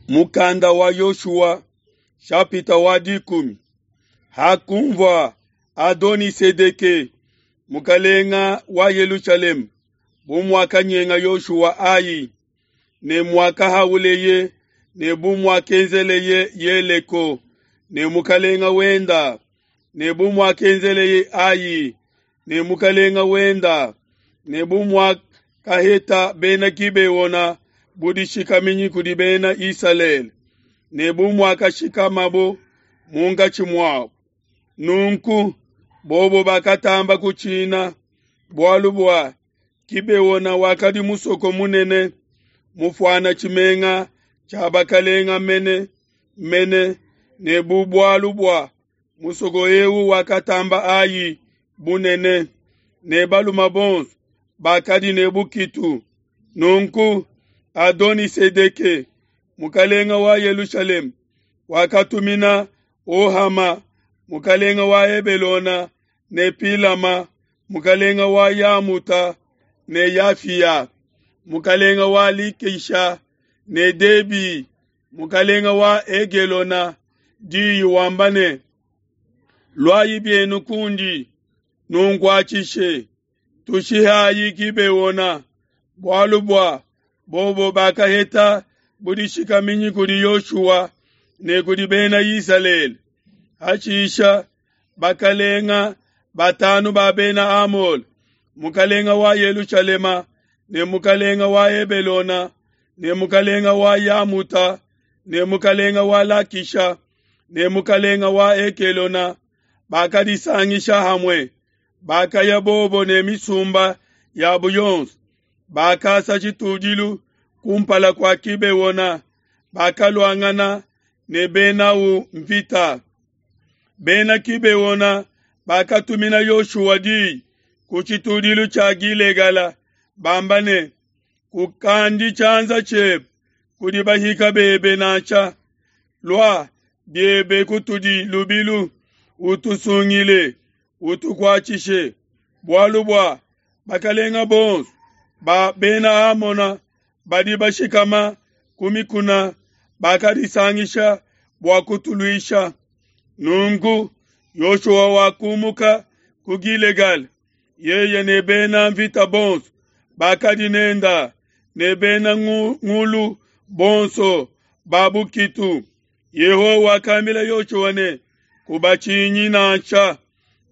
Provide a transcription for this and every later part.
Mukanda wa Yoshua shapita wa 10. Hakunvua Adoni-Sedeke mukalenga wa Yelushalema bu muakanyenga Yoshua Ai ne muakahauleye ne bu muakenzeleye Yeleko ne mukalenga wenda ne bu muakenzeleye Ai ne mukalenga wenda ne bu muakaheta bena Gibeona budishikaminyi kudi bena Isalele ne bu muakashikamabo munkatshi muabo. Nunku bobo bakatamba kutshina, bualu bua Gibeona wakadi musoko munene, mufuana tshimenga tshia bakalenga mene mene, ne bu bualu bua musoko eu wakatamba Ai bunene, ne balume bonso bakadi ne bukitu. Nunku Adoni-Sedeke mukalenga wa Yelushalema wakatumina Ohama mukalenga wa Hebelona ne Pilama mukalenga wa Yamuta ne Yafia mukalenga wa Likisha ne Debi mukalenga wa Egelona diyi wamba ne, Luayi bienu kundi nunkuatshishe, tushihayi Gibeona, bualu bua bobo bakaheta budishikaminyi kudi Yoshua ne kudi bena Isalele. Hashisha bakalenga batanu ba bena Amole, mukalenga wa Yelushalema ne mukalenga wa Hebelona ne mukalenga wa Yamuta ne mukalenga wa Lakisha ne mukalenga wa Ekelona bakadisangisha hamue, bakaya bobo ne misumba yabo yonso, bakasa tshitudilu kumpala kua Gibeona, bakaluangana ne benau mvita. Bena Gibeona bakatumina Yoshua diyi ku tshitudilu tshia Gilegala, bamba ne, Kukandi tshianza tshiebe kudi bahika bebe nansha, lua biebe kutudi lubilu, utusungile, utukuatshishe, bualu bua bakalenga bonso ba bena Amona badi bashikama ku mikuna bakadisangisha bua kutuluisha. Nunku Yoshua wakumuka ku Gilegala, yeye ne bena mvita bonso bakadi nenda ne bena ngulu bonso ba bukitu. Yehowa wakambila Yoshua ne, Kubatshinyi nansha,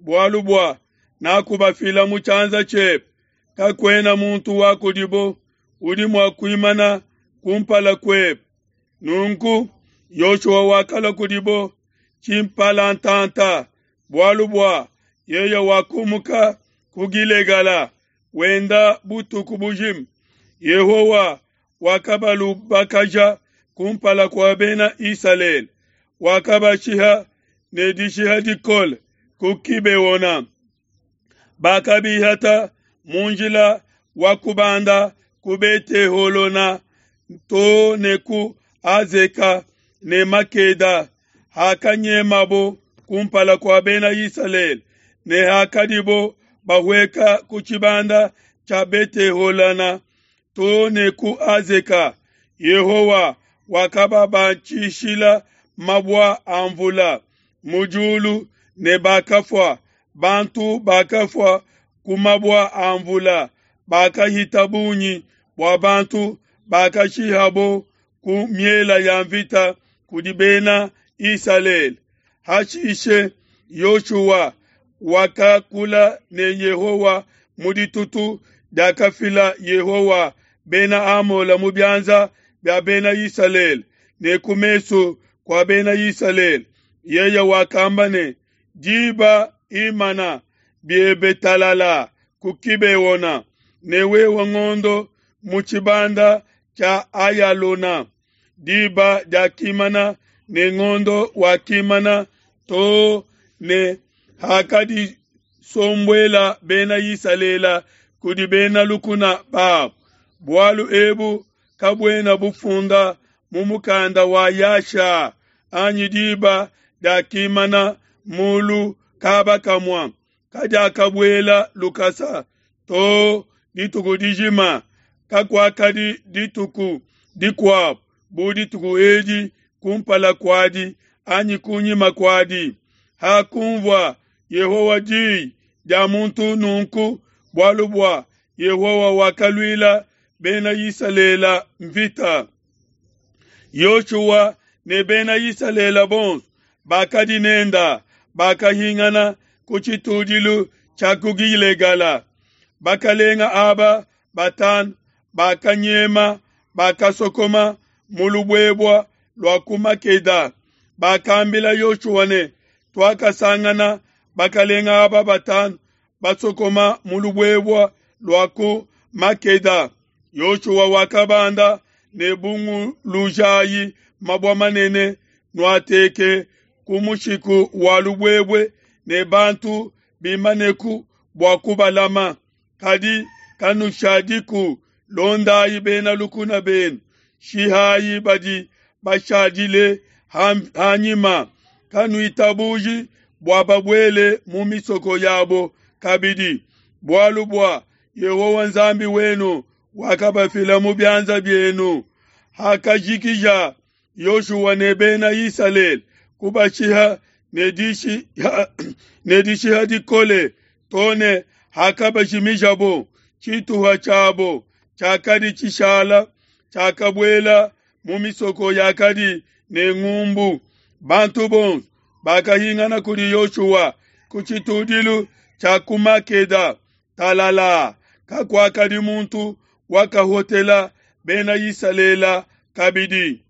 bualu bua nakubafila mu tshianza tshiebe, kakuena muntu wa kudibo udi mua kuimana kumpala kuebe. Nunku Yoshua wakalua kudibo tshimpalantanta, bualu bua yeye wakumuka ku Gilegala wenda butuku bujima. Yehowa wakabalubakaja kumpala kua bena Isalele, wakabashiha ne dishiha dikole ku Gibeona. Bakabihata mu njila wa kubanda ku Bete-holona to ne ku Azeka ne Makeda, hakanyemabo kumpala kua bena Isalele ne hakadibo bahueka ku tshibanda tshia Bete-holona to ne ku Azeka. Yehowa wakababatshishila mabua a mvula mu diulu ne bakafua. Bantu bakafua ku mabua a mvula bakahita bungi bua bantu bakashihabo ku miela ya mvita kudi bena Isalele. Hashishe Yoshua wakakula ne Yehowa mu ditutu diakafila Yehowa bena Amola mu bianza bia bena Isalele ne ku mesu kua bena Isalele. Yeye wakamba ne, Diba imana biebe talala ku Gibeona, ne wewe ngondo mu tshibanda tshia Ayalona. Diba diakimana ne ngondo wakimana to ne hakadisombuela bena Isalele kudi bena lukuna babo. Bualu ebu kabuena bufunda mu mukanda wa Yasha anyi diba diakimana mulu kaba kamua, kadiakabuela lukasa to dituku dijima, kakuakadi dituku dikuabo. bu dituku edi kumpala kuadi anyi kunyima kuadi. Hakunvua Yehowa diyi dia muntu nunku, bualu bua Yehowa wakaluila Bena Isalele mvita. Yoshua ne Bena Isalele bonso bakadi nenda bakahingana ku tshitudilu tshia ku Gilegala. Bakalenga aba batanu bakanyema, bakasokoma mu lubuebua lua ku Makeda. Bakambila Yoshua ne, Tuakasangana bakalenga aba batanu basokoma mu lubuebua lua ku Makeda. Yoshua wakabanda ne bungulujayi mabua manene nuateke ku mushiku wa lubuebue ne bantu bimaneku bua kubalama. Kadi kanushadiku, londayi bena lukuna benu, shihayi badi bashadile hanyima, kanuitabuji bua babuele mu misoko yabo kabidi, bualu bua Yehowa Nzambi wenu wakabafila mu bianza bienu. Hakajikija Yoshua ne Bena Isalele kubashiha ne dishiha dikole to ne hakabajimijabo, tshituha tshiabo tshiakadi tshishala tshiakabuela mu misoko yakadi ne ngumbu. Bantu bonso bakahingana kudi Yoshua ku tshitudilu tshia ku Makeda talala, kakuakadi muntu wakahotela Bena Isalele kabidi.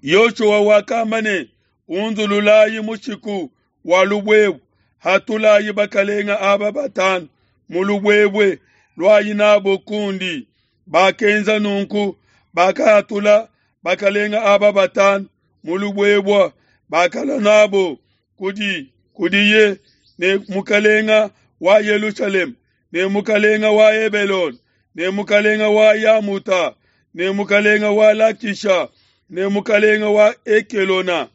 Yoshua wakamba ne, Unzululayi mushiku wa lubuebue, hatulayi bakalenga aba batanu mu lubuebue, luayi nabo kundi. Bakenza nunku, bakahatula bakalenga aba batanu mu lubuebue, bakalua nabo kudi kudiye ne mukalenga wa Yelushalema ne mukalenga wa Hebelone ne mukalenga wa Yamuta ne mukalenga wa Lakisha ne mukalenga wa Ekelona.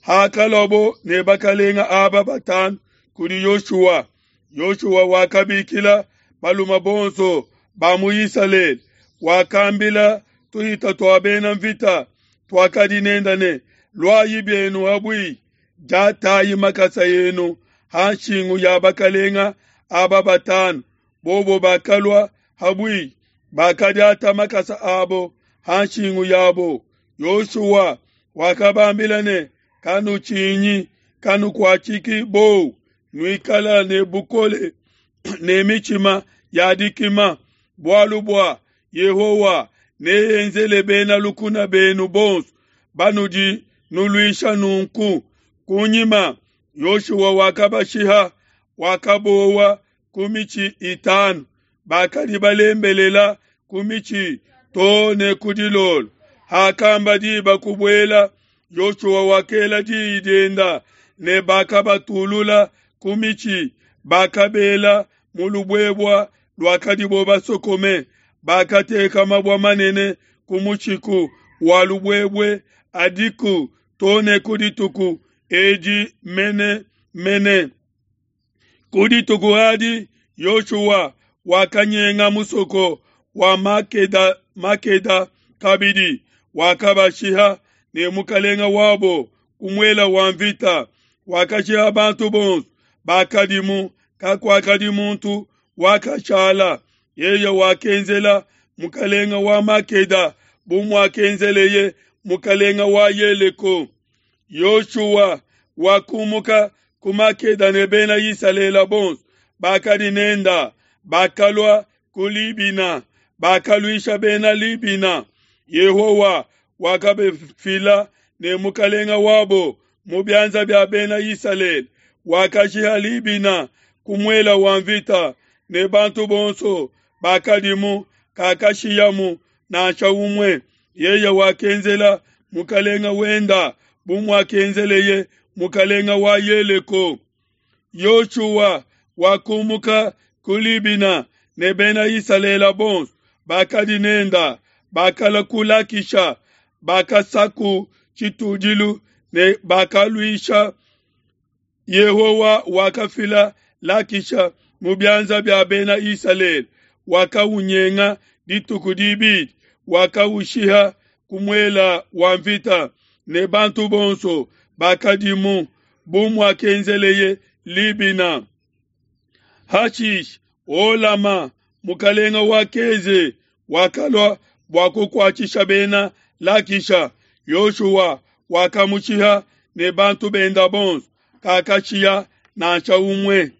Hakaluabo ne bakalenga aba batanu kudi Yoshua, Yoshua wakabikila balume bonso ba mu Isalele, wakambila tuhita tua bena mvita tuakadi nenda ne, Luayi bienu habui, diatayi makasa enu ha nshingu ya bakalenga aba batanu. Bobo bakalua habui, bakadiata makasa abo ha nshingu yabo. Yoshua wakabambila ne, Kanutshinyi, kanukuatshiki bowu, nuikala ne bukole ne mitshima ya dikima, bualu bua Yehowa neenzele bena lukuna benu bonso banudi nuluisha nunku. Kunyima Yoshua wakabashiha, wakabowa ku mitshi itanu, bakadi balembelela ku mitshi to ne ku dilolo. Hakamba diba kubuela, Yoshua wakela diyi dienda ne bakabatulula ku mitshi, bakabela mu lubuebua luakadibo basokome. Bakateka mabua manene ku mushiku wa lubuebue adiku to ne ku dituku edi mene mene. Ku dituku adi Yoshua wakanyenga musoko wa Makeda, Makeda kabidi, wakabashiha ne mukalenga wabo ku muela wa mvita. Wakashiha bantu bonso bakadimu, kakuakadi muntu wakashala. Yeye wakenzela mukalenga wa Makeda bu muakenzeleye mukalenga wa Yeleko. Yoshua wakumuka ku Makeda ne Bena Isalele bonso bakadi nenda, bakalua ku Libina, bakaluisha Bena Libina. Yehowa wakabafila ne mukalenga wabo mu bianza bia Bena Isalele. Wakashiha Libina ku muela wa mvita ne bantu bonso bakadimu, kakashiyamu nansha umue. Yeye wakenzela mukalenga wenda bu muakenzeleye mukalenga wa Yeleko. Yoshua wakumuka ku Libina ne Bena Isalele bonso bakadi nenda, bakalua ku Lakisha, bakasaku tshitudilu ne bakaluisha. Yehowa wakafila Lakisha mu bianza bia Bena Isalele, wakaunyenga dituku dibidi, wakaushiha. ku muela wa mvita ne bantu bonso bakadimu, bu muakenzeleye Libina. Hashishe Holama, mukelenge wa Keze, wakalua bua kukuatshisha Bena Lakisha. Yoshua wakamushiha ne bantu benda bonso, kakashiya nansha umue.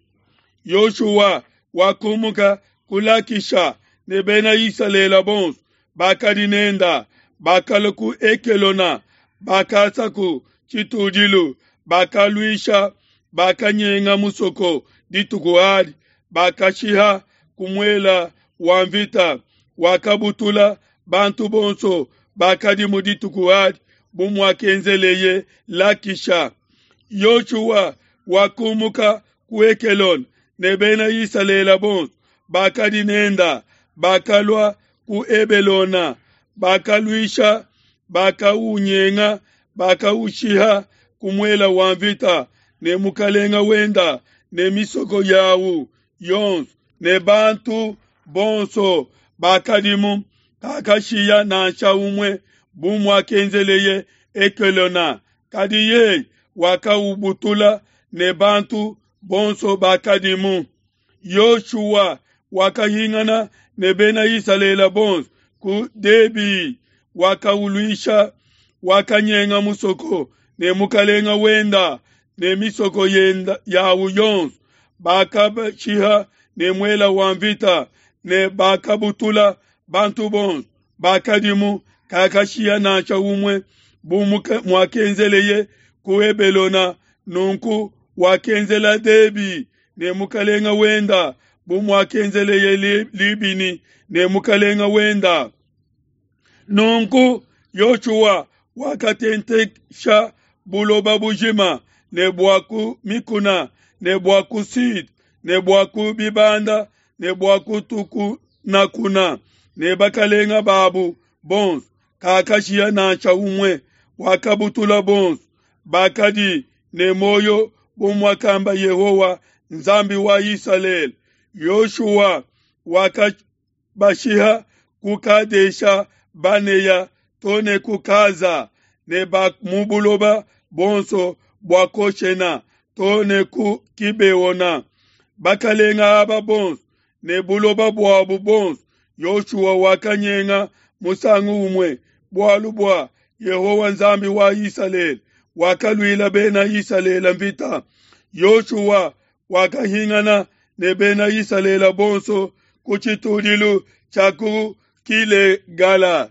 Yoshua wakumuka ku Lakisha ne Bena Isalele bonso bakadi nenda, bakalua ku Ekelona, bakasaku tshitudilu, bakaluisha, bakanyenga musoko dituku adi, bakashiha ku muela wa mvita, wakabutula bantu bonso bakadi mu dituku adi, bu muakenzeleye Lakisha. Yoshua wakumuka ku Ekelona ne Bena Isalele bonso bakadi nenda, bakalua ku Ebelona, bakaluisha, bakaunyenga, bakaushiha ku muela wa mvita ne mukalenga wenda ne misoko yawu yonso ne bantu bonso bakadimu, kakashiya nansha umue, bu muakenzeleye Ekelona. Kadi yeye wakaubutula ne bantu bonso bakadimu. Yoshua wakahingana ne Bena Isalele bonso ku Debi, wakauluisha, wakanyenga musoko ne mukalenga wenda ne misoko yenda yawu yonso, bakabashiha ne muela wa mvita ne bakabutula bantu bonso bakadimu, kakashiya nansha umue, bu muakenzeleye ku Ebelona. Nunku wakenzela Debi ne mukalenga wenda bu muakenzeleye Libini ne mukalenga wenda. Nunku Yoshua wakatentesha buloba bujima ne bua ku mikuna ne bua ku sud ne bua ku bibanda ne bua ku tukunakuna ne bakalenga babu bonso, kakashiya nansha umue, wakabutula bonso bakadi ne muoyo bu muakamba Yehowa Nzambi wa Isalele. Yoshua wakabashiha ku Kadesha Baneya to ne ku Kaza ne ba mu buloba bonso bua Koshena to ne ku Kibeona. Bakalenga aba bonso ne buloba buabu bonso Yoshua wakanyenga musangu umue, bualu bua Yehowa Nzambi wa Isalele wakaluila Bena Isalele mvita. Yoshua wakahingana ne Bena Isalele bonso ku tshitudilu tshia ku Kilegala.